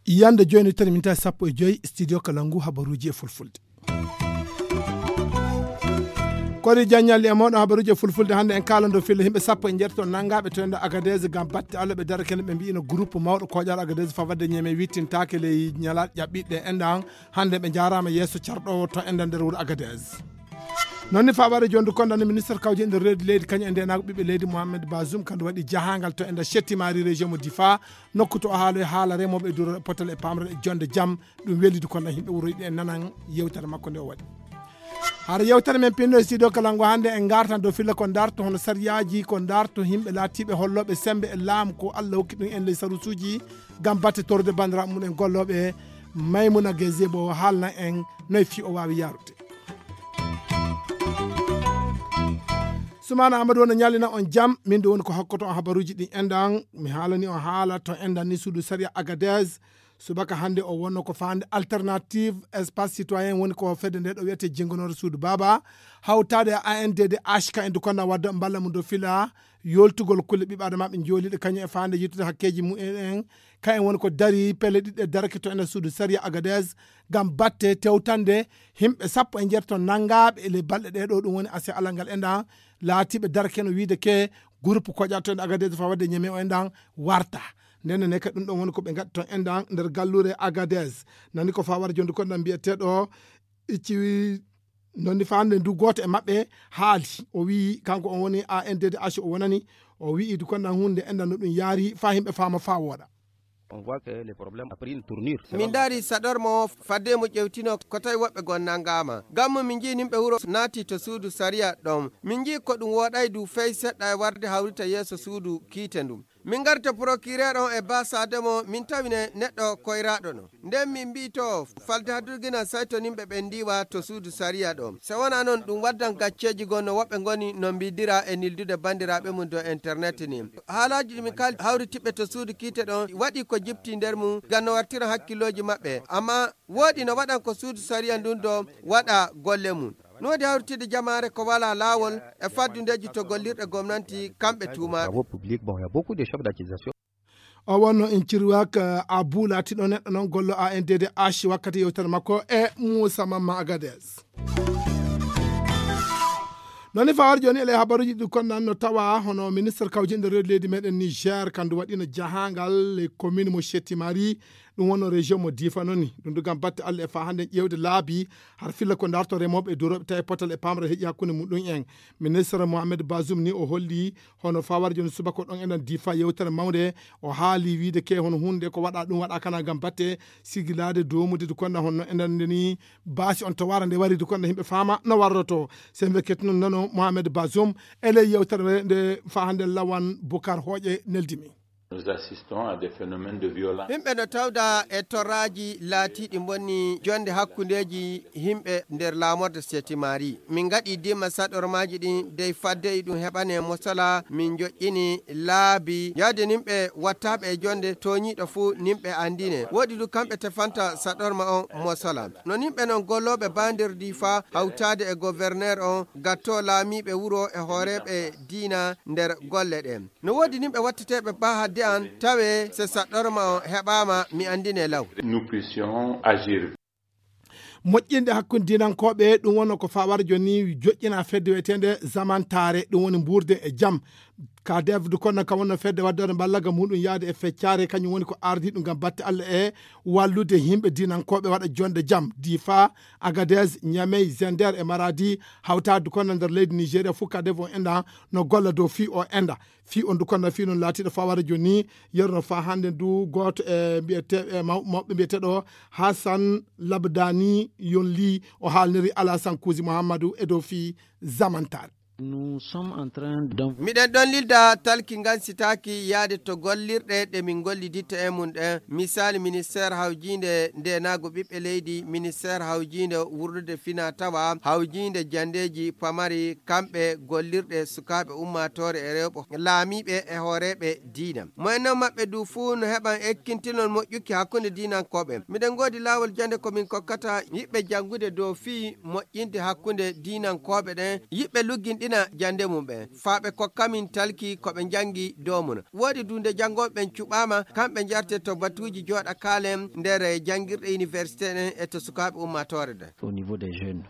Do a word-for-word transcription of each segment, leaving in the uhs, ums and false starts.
Yande jooni tan minta sappo e joyi studio Kalangu habaruuji e fulfulde. Kori jaññalli e mawɗo habaruuji e fulfulde hannde en kaalando filla yimɓe sappo e njeetato nanngaaɓe to enda Agadez ngam batte Allah ɓe dara kene ɓe mbi'ino groupe mawɗo koƴaaɗo Agadez fawade ñeme wittintaake ley ñalaaɗe ƴaɓɓiɗɗe enɗan hannde ɓe njaaraama yeeso carɗoowo to enɗan nder wuro Agadez. Noon ni fawaade jonde konda ni ministre kawje nder reedi leydi kañum e ndenaago ɓiɓɓe leydi Mohamed Bazoum kandu waɗi jahangal to enda Chettimari région mo Difa nokku to o haaloy haala remooɓe e duro potal e pamre e jonde jam ɗum welidi konda yimɓe wuroyɗi e nanan yewtere makko nde o waɗi. Hara yewtere men pinno e studio Kalangu hannde en ngartan dow filla ko darto hono sariyaaji ko darto yimɓe laatiiɓe hollooɓe sembe e laamu ko Allah hokki ɗum en ley sarusuuji ngam batte torde banndiraaɓe mum en gollooɓe Maymuna Gazebo haalna en noy fii o waawi yaarude. Sumana Amadou wona ñallina on jam min de woni ko hokkoto on habaruuji ɗin enɗan mi haalani on haala to enɗan ni suudu sariya Agadez. Subaka hannde o wonno ko faande alternative espace citoyen woni ko fedde nde ɗo wiyete jenngonore suudu baaba hawtaade e A N D D H ka en dukonna wadda mballa mum do fila yoltugol kulle ɓiɓɓe adama ɓe jooliiɗe kañum e faande yettude hakkeeji mumen en ka en woni ko dari pelle ɗiɗɗe darake to ene suudu sariya Agadez ngam batte tewtande yimɓe sappo e njeetato nanngaaɓe e ley balɗe ɗee ɗoo ɗum woni ase alal ngal enɗan laatiiɓe darake no wiide ke groupe koƴa to en Agadez fawade ñeme o enɗan warta. Nden ne kadi ɗum ɗon woni ko ɓe ngaɗi to enɗan nder galluure Agadez. Nani ko fawar jonde konɗan mbiyeteeɗo icci nonni faande ndu gooto e maɓɓe haali o wi'i kanko on woni A N D D H o wonani o wi'i du konɗan hunde enɗan no ɗum yaari fa yimɓe faama fa wooɗa. On voit que le problème a pris une tournure. Min ndaari saɗormo o fadde mo ƴewtino ko tawi woɓɓe goo nanngaama. Ngammu min njii nimɓe wuro naati to suudu sariya ɗon. Min njii ko ɗum wooɗay du fey seɗɗa e warde hawrita yeeso suudu kiite ndun. Min ngarta procureur on e baasaade mo min tawine neɗɗo koyraaɗo no. Nden min mbi'i to falde haddurgina saytoninɓe ɓen ndiiwa to suudu sariya ɗon. Se wonaa non ɗum waddan gacceeji goo no woɓɓe ngoni no mbiidira e nildude banndiraaɓe mum dow internet ni. Haalaaji ɗi min kaali hawritiɓɓe to suudu kiite ɗon waɗi ko jipti nder mum ngam no wartira hakkillooji maɓɓe. Amma wooɗi no waɗan ko suudu sariya ndun do waɗa golle mum. No woodi hawritidde jamaare ko walaa laawol e faddundeeji to gollirɗe gomnanti kamɓe tuumaaɓe. Travaux publics, bon, il y a beaucoup de chefs d'accusation. O wonno en cirwaka abu laatiɗo neɗɗo noon gollo A N D D H wakkati yewtere makko e Moussa Mamma Agadez. Noni fawar joni ele habaruji ɗi konnan no tawa hono ministre kawjinde reedi leydi meɗen Niger kandu waɗino jahangal e commune mo Chetimari ɗum wonno région mo Difa noni ɗum du gam batte Allah e fa hande ƴewde laabi har filla ko darto remoɓe e duroɓe tawi potal e pamre heeƴi hakkunde muɗum en. Ministre Mohamed Bazoum ni o holli hono fawar joni subaka ɗon enen Difa yewtere mawde o haali wiide ke hono hunde ko waɗa ɗum waɗa kana gam batte sigilade domude du konna honno enen nde ni basi on to wara nde wari du konna himɓe fama no warroto. Sembe ketnon nano Mohamed Bazoum ele yewtere nde fa hande lawan Bukar Hoƴe neldimi. Nous assistons à des phénomènes de violence. Himɓe no tawda e torraaji laatiiɗi mbonni jonde hakkundeeji himɓe nder laamorde Setimari. Min ngaɗi dima saɗormaaji ɗin dey fadde e ɗum heɓane mosala min joƴƴini laabi yaade nimɓe wattaaɓe e jonde tooñiiɗo fuu nimɓe anndine. Woɗi du kamɓe tefanta saɗorma on mosala. No nimɓe non gollooɓe baa nder Difa hawtaade e governeer on gattoo laamiiɓe wuro e hooreeɓe diina nder golle ɗen. No woodi nimɓe watteteeɓe baa hadde an tawe se saɗɗorma on heɓaama mi anndine law. Nous puissions agir. Moƴƴinde hakkunde dinankooɓe ɗum wonno ko fawar joni joƴƴina fedde wiyeteende zamantaare ɗum woni mbuurde e jam. Ka defdu kono kam wonno fedde waddore mballaga muɗum yaade e feccare kañum woni ko ardi ɗum gam batte Allah e wallude yimɓe dinankooɓe waɗa jonde jam Difa, Agadez, Ñamey, Zender e Maradi hawtaade kono nder leydi Nigeria fof ka defo enɗan no golla dow fii o enɗa. Fii on du kono fii noon laatiiɗo fawara jooni yeru no faa hannde du gooto e mbiyete e mawɓe mbiyeteɗo Hassan Labdani Yonli o haalniri Alasan Kuusi Muhammadu e dow fii zamantare. Nous sommes en train d'en- Miɗen ɗon lilda talki ngan sitaaki yaade to gollirɗe ɗe min golliditta e mum ɗen. Misaali, ministeer hawjiinde ndeenaagu ɓiɓɓe leydi, ministeer hawjiinde wurdude fina tawa, hawjiinde janndeeji pamari, kamɓe gollirɗe sukaaɓe ummaatoore e rewɓe laamiiɓe e hooreeɓe diina. Moyen non maɓɓe du fuu no heɓan ekkintinol moƴƴuki hakkunde diinankooɓe. Miɗen ngoodi laawol jannde ko min kokkata yiɓɓe janngude dow fii moƴƴinde hakkunde diinankooɓe ɗen, yiɓɓe lugginɗina jannde mum ɓen, faa ɓe kokka min talki ko ɓe njanngi dow mum. Woodi du nde janngooɓe ɓen cuɓaama, kamɓe njarte to batuuji jooɗa kaalen nder janngirɗe université ɗen e to sukaaɓe ummaatoore ɗen. Au niveau des jeunes.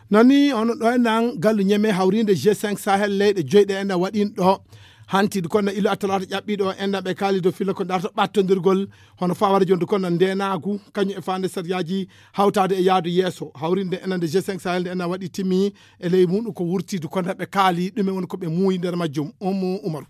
Non ni hono ɗo enɗan gallu ñeme hawriinde G cinq Sahel leyɗe joyi ɗe enɗan waɗiino ɗo. Hanti du konno ilo attalaata ƴaɓɓiiɗo o enɗan ɓe kaali dow filla ko darto ɓattondirgol hono fawara jondu konno ndeenaagu kañum e faande sariyaaji hawtaade e yaadu yeeso. Hawriinde enɗan nde G cinq Sahel nde enɗan waɗi timmi e ley muɗum ko wurti du konno ɓe kaali ɗume woni ko ɓe muuyi nder majjum. Ummu Umaru.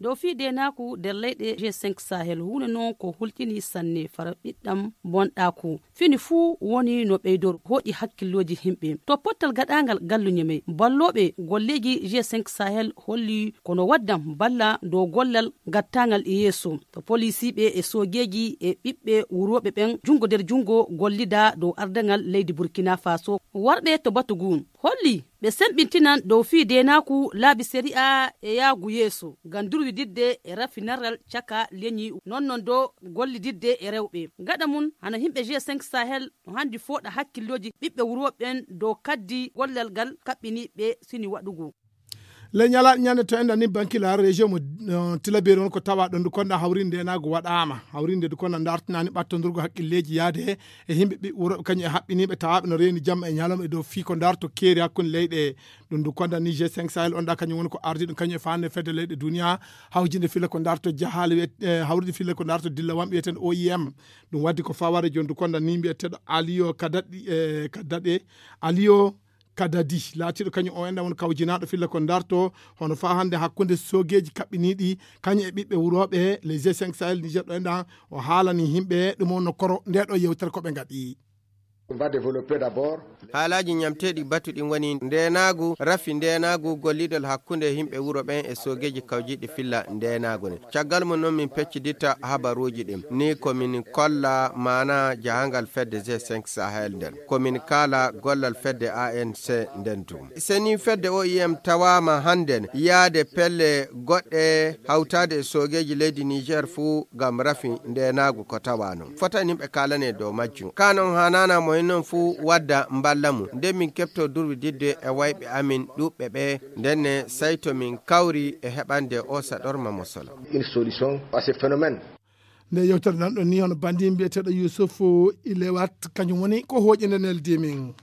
Dow fii deenaaku nder leyɗe G cinq Sahel huunde noon ko hulƴinii sanne fara ɓiɗɗam bonɗaaku. Fini fuu woni no ɓeydor hooƴi hakkillooji yimɓe. To pottal gaɗaangal gallu ñemey, ballooɓe golleeji G cinq Sahel holli kono waddan balla dow gollal gattaangal e yeeso. To polisiiɓe e soogeeji e ɓiɓɓe wurooɓe ɓen junngo nder junngo gollida dow ardaŋal leydi Burkina Faso. Warɓe to batu ngun holli ɓe semɓintinan dow fii deenaaku laabi sariya e yaagu yeeso ngam durwididde e rafinarral caka leñi, non non dow gollididde e rewɓe. Gaɗa mum, hano yimɓe G cinq Sahel no hanndi fooɗa hakkillooji ɓiɓɓe wuro ɓen dow kaddi gollal ngal kaɓɓiniiɓe sini waɗugo. Ley ñalaaɗe ñande to enɗan ni Bankilaar, région mo, eh, Tilaberi won ko tawa ɗon du konda hawrinde naago waɗaama. Hawrinde du konda dartinaani ɓattondurgo hakkilleeji yaade e yimɓe ɓi-, wuro kañum e haɓɓiniiɓe tawaaɓe no reeni jamma e ñalawma e dow fii ko darto keeri hakkunde leyɗe. Ɗum du konda ni G cinq Sahel on ɗa kañum woni ko ardi ɗum kañum e faande fedde leyɗe duniya hawjinde filla ko darto jahaale wiyet-, eh, hawride filla ko darto dillawam wiyeteeɗo O I M. Ɗum waddi ko faware jon du konda ni mbiyeteeɗo Aliyo Kadadi, eh, Kadade, Aliyo Kadadi, laatiiɗo kañum o enɗan woni kawjinaaɗo filla ko darto, hono faa hannde hakkunde soogeeji kaɓɓiniiɗi, kañum e ɓiɓɓe wurooɓe les G cinq Sahel Niger ɗo enɗan, o haalani yimɓe ɗum on no koro nde ɗo yewtere ko ɓe ngaɗi. On va développer d'abord. Haalaaji ñamteeɗi batu ɗin woni ndeenaagu, rafi ndeenaagu, gollidol hakkunde yimɓe wuro ɓen e soogeeji kawjiiɗi filla ndeenaagu ne. Caggal mum non min pecciditta habaruuji ɗin. Ni ko min kolla maana jahangal fedde G cinq Sahel nden. Ko min kaala gollal fedde A N C nden tun. Seni fedde O I M tawaama hannden yaade pelle goɗɗe hawtaade e soogeeji leydi Niger fuu ngam rafi ndeenaagu ko tawa non. Fota yimɓe kaalane dow majjum. Kaa non haanaana mo hinnon fuu wadda mballa mum. Nden min keɓtoo durwididde e wayɓe amin ɗuɓɓe ɓe. Nden ne sayto min kawri e heɓande o saɗorma mo solo. Une solution à ce phénomène. Nde yewtere nan ɗon ni hono banndi mbiyeteeɗo Yusuf Ilewat, kañum woni ko hooƴinde neldi min.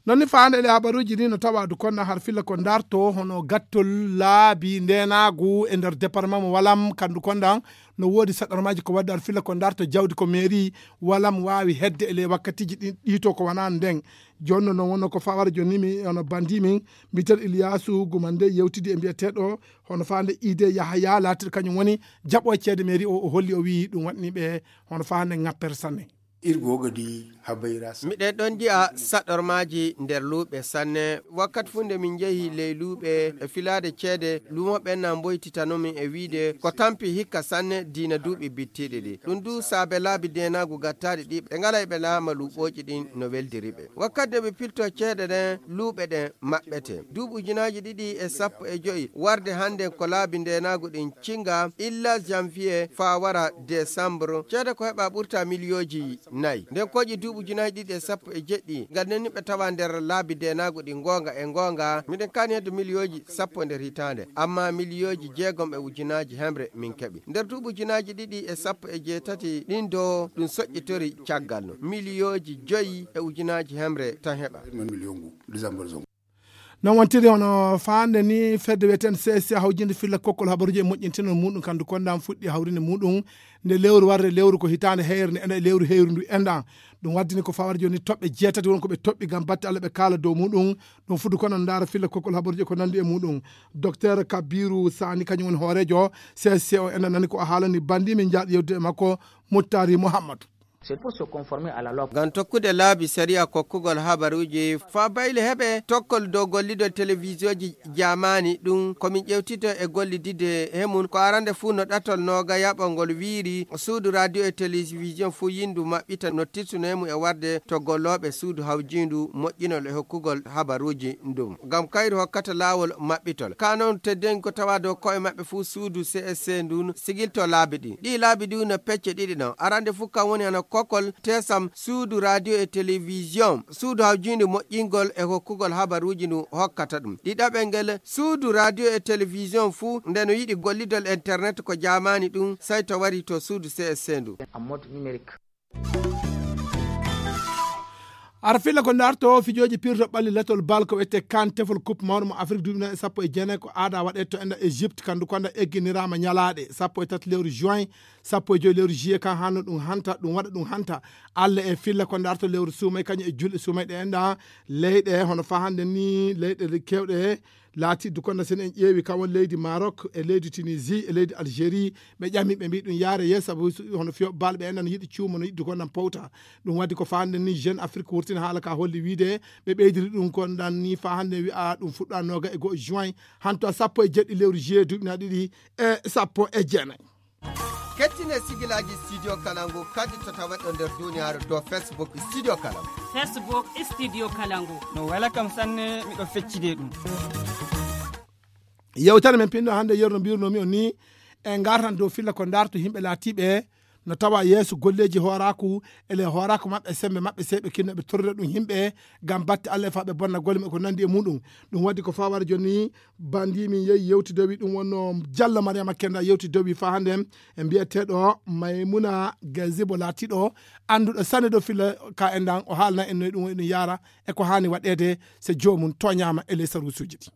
Non ni faande ɗe habaruuji ni no tawa du konda har filla ko darto hono gattol laabi ndeenaagu e nder département mo Walam, kandu konda no woodi saɗarmaaji ko wadde har filla ko darto jawdi ko mairie Walam waawi hedde e ley wakkatiiji ɗi, ɗi to ko wonaa nden. Jooni non wonno ko fawara jooni mi hono banndi min mbiyeteeɗo Iliyaasu Gumande yewtidi e mbiyeteeɗo hono faande Ide Yahaya laatiiɗo kañum woni jaɓo ceede mairie o, o holli o wiyi ɗum waɗni ɓe hono faande ŋappere sanne. Irgo gadi habayra sa- Miɗen ɗon nji'a saɗormaaji nder luuɓe sanne. Wakkati fuu nde min njehi ley luuɓe e filaade ceede, luumooɓe ɓen na mboytitano min e wiide ko tampi hikka sanne diina duuɓi bittiiɗi ɗi. Ɗum du saabe laabi deenaagu gattaaɗi ɗi ɓe ngala e ɓe laama luuɓooji ɗin no weldiri ɓe. Wakkati nde ɓe piltoo ceede ɗen, luuɓe ɗen maɓɓete. Duuɓi ujunaaji ɗiɗi e sappo e jowi warde hannden ko laabi ndeenaagu ɗin cinga illa janvier faa wara décembre. Ceede ko heɓa ɓurta miliyooji nayi. Nden kooƴi duuɓi ujunaaji ɗiɗi e sappo e jeɗɗi ngal nden ni ɓe tawa nder laabi ndeenaagu ɗin goonga e goonga. Miɗen kaani hedde miliyooji sappo nder hitaande. Amma miliyooji jeegom e ujunaaji hemre min keɓi. Nder duuɓi ujunaaji ɗiɗi e sappo e jeetati ɗin do ɗum soƴƴitori caggal no. Miliyooji joyi e ujunaaji hemre tan heɓa. Non wontiri hono faande ni fedde wiyeteende C S C hawjinde filla kokkol habaruuji e moƴƴintinol muɗum kandu konda fuɗɗi hawrinde muɗum nde lewru warde lewru ko hitaande heyre nde ena e lewru heyru ndu enɗan. Ɗum waddini ko fawata jooni toɓɓe jeetati won ko ɓe toɓɓi ngam batte Allah ɓe kaala dow muɗum. Ɗum fuɗɗi kono ndaara filla kokkol habaruuji e ko nanndi e muɗum. Docteur Kabiru Sani kañum woni hooreejo C S C o enɗan nani ko o haalani banndi min njaaɗo yewtude e makko Muttari Muhammadu. C'est pour se conformer à la loi. Ngam tokkude laabi sariya kokkugol habaruuji faa bayle heɓe tokkol dow gollidol telewiziyonji jaamaani, ɗum ko min ƴeewtito e gollidide he mum. Ko arande fuu no ɗatol noogayaɓol ngol wiiri, suudu radio e telewiziyon fuu yindu maɓɓita no tirtuno he mum e warde to gollooɓe suudu hawjiindu moƴƴinol e hokkugol habaruuji ndum. Ngam kayru hokkata laawol maɓɓitol. Kaa noon teddeengi ko tawaa dow ko'e maɓɓe fuu suudu C S C ndun sigilto laabi ɗin. Ɗii laabi ɗin no pecce ɗiɗi ɗon. Arande fuu kan woni hano kokkol tesam suudu radio e telewiziyon, suudu hawjiindu moƴƴingol e hokkugol habaruuji ndu hokkata ɗum. Ɗiɗaɓel ngel, suudu radio e telewiziyon fuu nde no yiɗi gollidol internet ko jaamaani ɗum, sey to wari to suudu C S C ndu. En mode numérique. Ara filla ko ndarto fijooji pirto ɓalli letol bal ko wiyetee kan tefol coupe mawɗo mo Afrique duuɓi nayi e sappo e jeenayi ko aada waɗee to enda Égypte, kandu konda egginiraama ñalaaɗe sappo e tati lewru juin, sappo e joyi lewru juillet kan hanno ɗum hanta, ɗum waɗa ɗum hanta. Alla e filla ko ndarto lewru suumay kañum e julɗe suumay ɗe enda leyɗe hono faa hannde ni leyɗe keewɗe laati dukonda sen en ƴeewi kan woni leydi Maroc e leydi Tunisie e leydi Algérie. Ɓe ƴami ɓe mbi ɗum yaare yeeso sabu hono fiyo bal ɓe enda no yiɗi cuumo no yiɗi dukonda powta. Ɗum waɗi ko faa hannde ni Jeune Afrique wurtina haala ka holli wiide ɓe ɓeydiri ɗum kondan ni faa hannde wi'a ɗum fuɗɗa nooga e go'o juin hanto sappo e jeɗɗi lewru juillet duuɓi na ɗiɗi e sappo e jeenayi. Kettine sigilaaji Studio Kalangu kadi to taweɗo nder duniyaaru dow Facebook Studio Kalangu. Facebook Studio Kalangu. No wela kam sanne, miɗo feccide ɗum. Yewtere men pinɗo hannde yeru no mbirunoomi on ni, e ngartan dow filla ko ndarto yimɓe laatiiɓe no tawa yeeso golleeji hooraaku, ele hooraaku maɓɓe, semmbe maɓɓe, sey ɓe kinno ɓe torrira ɗum yimɓe ngam batte Alla e faa ɓe bonna golle maɓɓe ko nanndi e muɗum. Ɗum waɗi ko faa wara jooni ni, banndi min yehi yewtidowi, ɗum wonno Jallo Mariama Kenda yewtidowi faa hannde e mbiyeteeɗo Maymuna Gazibo laatiiɗo annduɗo sanne dow filla ka en ɗan, o haalna en noy ɗum woni ɗum yaara e ko haani waɗeede so joomum tooñaama e ley saruusuuji ɗi.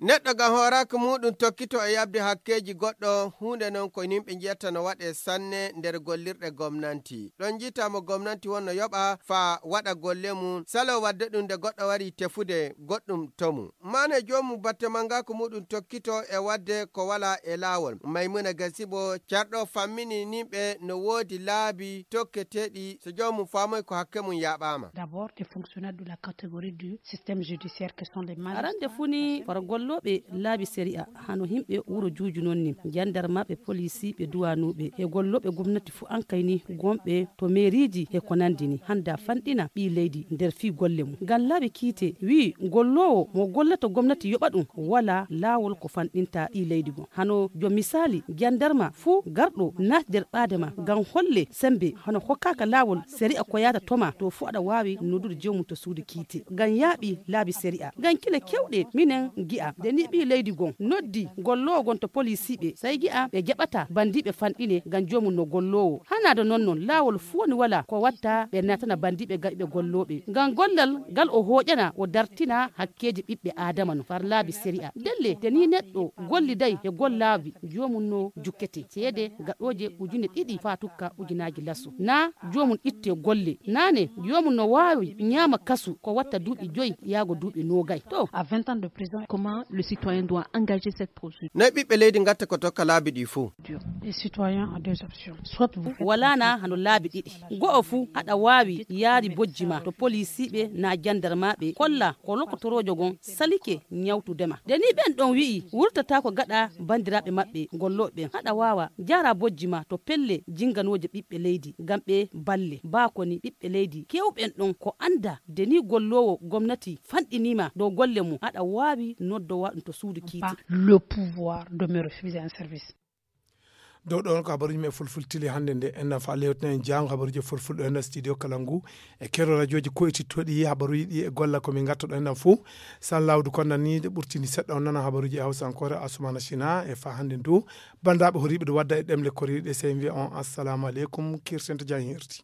Neɗɗo ngam hooraaki muuɗum tokkito e yaɓde hakkeeji goɗɗo, huunde non ko yimɓe njiyata no waɗee sanne nder gollirɗe gomnanti. Ɗon njiita mo gomnanti wonno yoɓa faa waɗa golle mum, salo waɗde ɗum nde goɗɗo wari tefude goɗɗum to mum. Maane joomum batte mangaaku muuɗum tokkito e waɗde ko walaa e laawol. Maymuna Gasibo, carɗo fammini yimɓe no woodi laabi tokketeeɗi so joomum faamoy ko hakke mum yaaɓaama. D'abord, des fonctionnaires de la catégorie du système judiciaire que sont les magistrats. Arande fuu ni, far gollooɓe laabi sariya, hano yimɓe wuro Juuju non ni, jandarmaaɓe, polisiiɓe, duwaanuuɓe, e gollooɓe gomnati fuu an kay ni, gonɓe to meeriiji e ko nanndi ni, hannda fanɗina ɓii leydi nder fii golle mum. Ngam laabi kiite wi'i, golloowo mo gollata gomnati yoɓa ɗum, walaa laawol ko fanɗinta ɓii leydi gon. Hano jo misaali, jandarma fuu garɗo naati nder ɓaade ma ngam holle semmbe, hano hokkaaka laawol sariya ko yaata to ma, to fuu aɗa waawi noddude joomum to suudu kiite ngam yaaɓi laabi sariya. Ngam kile keewɗe minen ngi'a, nde ni ɓii leydi gon noddi golloowo gon to polisiiɓe, sey ngi'a ɓe jaɓataa banndiiɓe fanɗine ngam joomum no golloowo. Hanaade non non, laawol fuu woni walaa ko watta ɓe naatana banndiiɓe gaɗiiɓe gollooɓe. Ngam gollal ngal o hooƴana, o dartina hakkeeji ɓiɓɓe Aadama no far laabi sariya. Ndelle, nde ni neɗɗo golliday e gollaabi, joomum no jukkete ceede gaɗooje ujune ɗiɗi faa tukka ujunaaji laso. Naa joomum itte golle. Naane, joomum no waawi ñaama kasu ko watta duuɓi joyi yaago duuɓi noogay. To. À vingt ans de prison, comment le citoyen doit engager cette procédure? Noy ɓiɓɓe leydi ngatta ko tokka laabi ɗi fuu? Les citoyens ont deux options. Soit vous faites... Walaa na hano laabi ɗiɗi. Go'o fuu, aɗa waawi yaari bojji ma to polisiiɓe naa jandarmaaɓe, kolla ko lokotoroojo gon salike ñawtude ma. Nde ni ɓen ɗon wi'i wurtataako gaɗa banndiraaɓe maɓɓe gollooɓe ɓen, aɗa waawa jaara bojji ma to pelle jinganooje ɓiɓɓe leydi ngam ɓe balle. Baa ko ni ɓiɓɓe leydi keewɓen ɗon ko annda nde ni golloowo gomnati fanɗinii ma dow golle mum, aɗa waawi noddowa ɗum to suudu kiite. Pas le pouvoir de me refuser un service. Dow ɗon ko habaruuji men fulfultili hannde nde. Enɗan faa lewtinen jaango habaruuji fulfulɗo enɗan studio kala ngu e kero radiooji koytittoɗi habaruuji ɗi e golla ko min ngattoɗo enɗan fuu. San lawdu kon nan ni ɗe ɓurtini seɗɗa on nana habaruuji e hawsankoore Asumana Sina e faa hannde ndu. Banndiraaɓe horiiɓe ɗo wadda e ɗemle koriiɗe sey mbiya on assalamu aleykum, kirsen to jam hirti.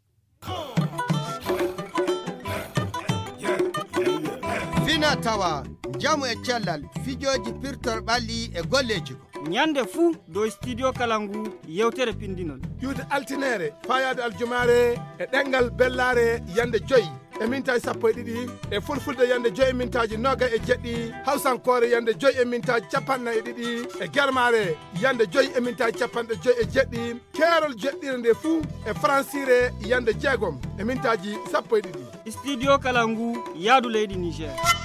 Fina tawa, njamu e cellal, fijooji pirtol ɓalli e golleeji. Ñande fuu dow studio kala ngu yewtere pinndinol. Iwde altineere, faayaade aljumaare e ɗemngal bellaare yande joyi. e mintaaji sappo e ɗiɗi, e fulfulde yande joyi e mintaaji noga e jeɗɗi, hawsankoore yande joyi e mintaaji capanɗe e ɗiɗi, e germaare yande joyi e mintaaji capanɗe joyi e jeɗɗi, keerol jeɗɗire nde fuu e faransire yande jeegom e mintaaji sappo e ɗiɗi. Studio Kalangu, yaadu leydi Niger.